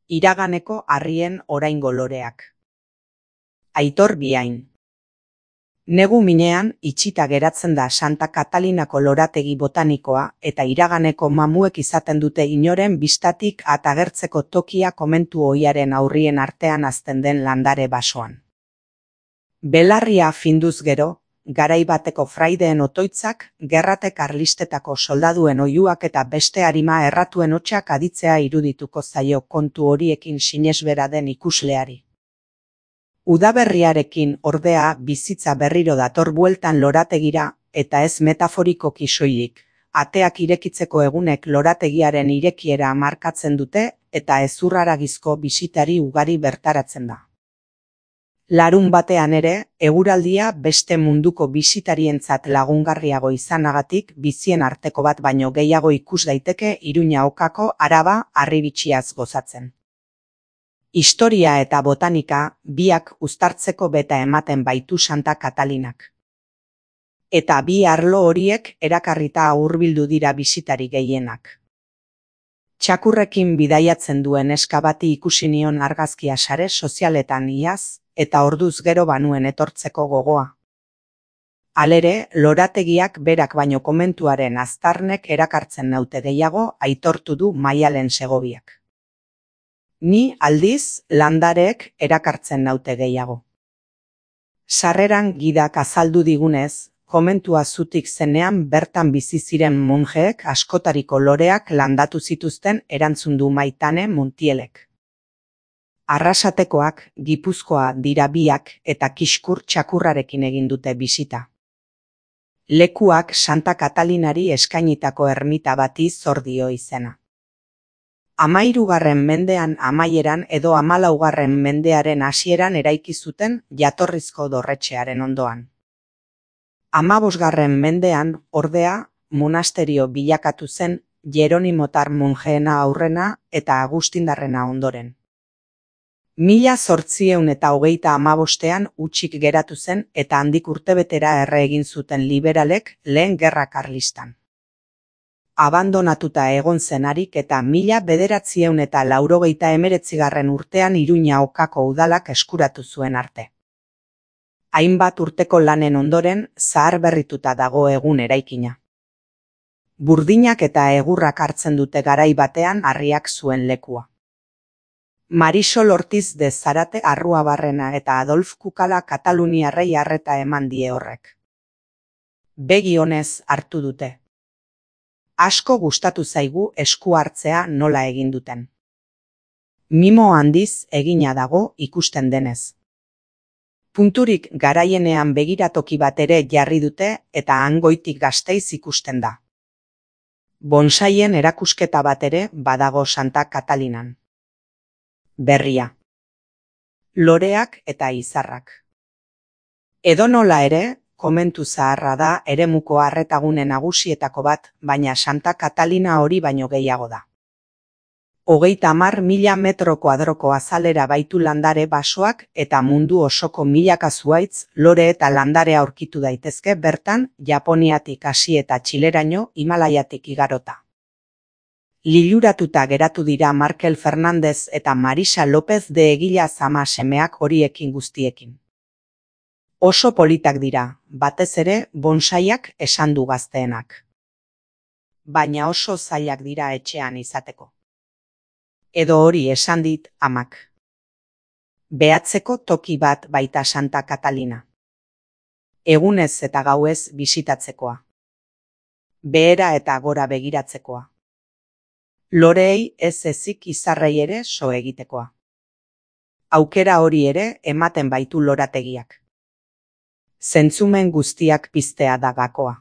Iraganeko harrien oraingo loreak. Aitor Biain. Negu minean itxita geratzen da Santa Katalinako lorategi botanikoa eta iraganeko mamuek izaten dute inoren bistatik atagertzeko tokia komentu ohiaren aurrien artean hazten den landare basoan. Belarria finduz gero, garai bateko fraideen otoitzak, gerrate karlistetako soldaduen oihuak eta beste arima erratuen hotsak aditzea irudituko zaio kontu horiekin sinesbera den ikusleari. Udaberriarekin ordea bizitza berriro dator bueltan lorategira, eta ez metaforikoki soilik, ateak irekitzeko egunek lorategiaren irekiera markatzen dute eta hezurraragizko bisitari ugari bertaratzen da. Larun batean ere, eguraldia beste munduko bisitarientzat lagungarriago izanagatik bizien arteko bat baino gehiago ikus daiteke Iruña Okako Araba harribitxiaz gozatzen. Historia eta botanika biak uztartzeko beta ematen baitu Santa Katalinak. Eta bi arlo horiek erakarrita hurbildu dira bisitari gehienak. Txakurrekin bidaiatzen duen neska bati ikusi nion argazkia sare sozialetan iaz, eta orduz gero banuen etortzeko gogoa. Halere, lorategiak berak baino komentuaren aztarnek erakartzen naute gehiago aitortu du Maialen Segoviak. Ni aldiz landareek erakartzen naute gehiago. Sarreran gidak azaldu digunez, komentua zutik zenean bertan bizi ziren monjeek askotariko loreak landatu zituzten erantzun du Maitane Montielek. Arrasatekoak, Gipuzkoa dira biak eta Kiskur txakurrarekin egin dute bisita. Lekuak Santa Katalinari eskainitako ermita bati zor dio izena. 13. mendean amaieran edo 14. mendearen hasieran eraiki zuten jatorrizko dorretxearen ondoan. 15. mendean, ordea, monasterio bilakatu zen Jeronimotar monjeena aurrena eta Agustindarrena ondoren. 1825ean utzik geratu zen eta handik urtebetera erre egin zuten liberalek lehen gerra karlistan. Abandonatuta egon zenarik eta 1989 urtean Iruña Okako udalak eskuratu zuen arte. Hainbat urteko lanen ondoren zaharberrituta dago egun eraikina. Burdinak eta egurrak hartzen dute garai batean harriak zuen lekua. Marisol Ortiz de Zarate Arruabarrena eta Adolf Kukala Kataluniarrei harreta eman die horrek. Begi onez hartu dute. Asko gustatu zaigu esku hartzea nola egin duten. Mimo handiz egina dago ikusten denez. Punturik garaienean begiratoki bat ere jarri dute eta Hangoitik Gasteiz ikusten da. Bonsaien erakusketa bat ere badago Santa Katalinan. Berria. Loreak eta izarrak. Edonola ere, komentu zaharra da eremuko arretagune nagusietako bat, baina Santa Katalina hori baino gehiago da. 30.000 metro kuadroko azalera baitu landare basoak eta mundu osoko milaka zuhaitz, lore eta landare aurkitu daitezke bertan, Japoniatik hasi eta Txileraino, Himalaiatik igarota. Liluratuta geratu dira Markel Fernandez eta Marisa López de Egila zama semeak horiekin guztiekin. Oso politak dira, batez ere bonsaiak esan du gazteenak. Baina oso zailak dira etxean izateko. Edo hori esan dit amak. Behatzeko toki bat baita Santa Katalina. Egunez eta gauez bisitatzekoa. Behera eta gora begiratzekoa. Loreei ez ezik izarrei ere so egitekoa. Aukera hori ere ematen baitu lorategiak. Zentzumen guztiak piztea da gakoa.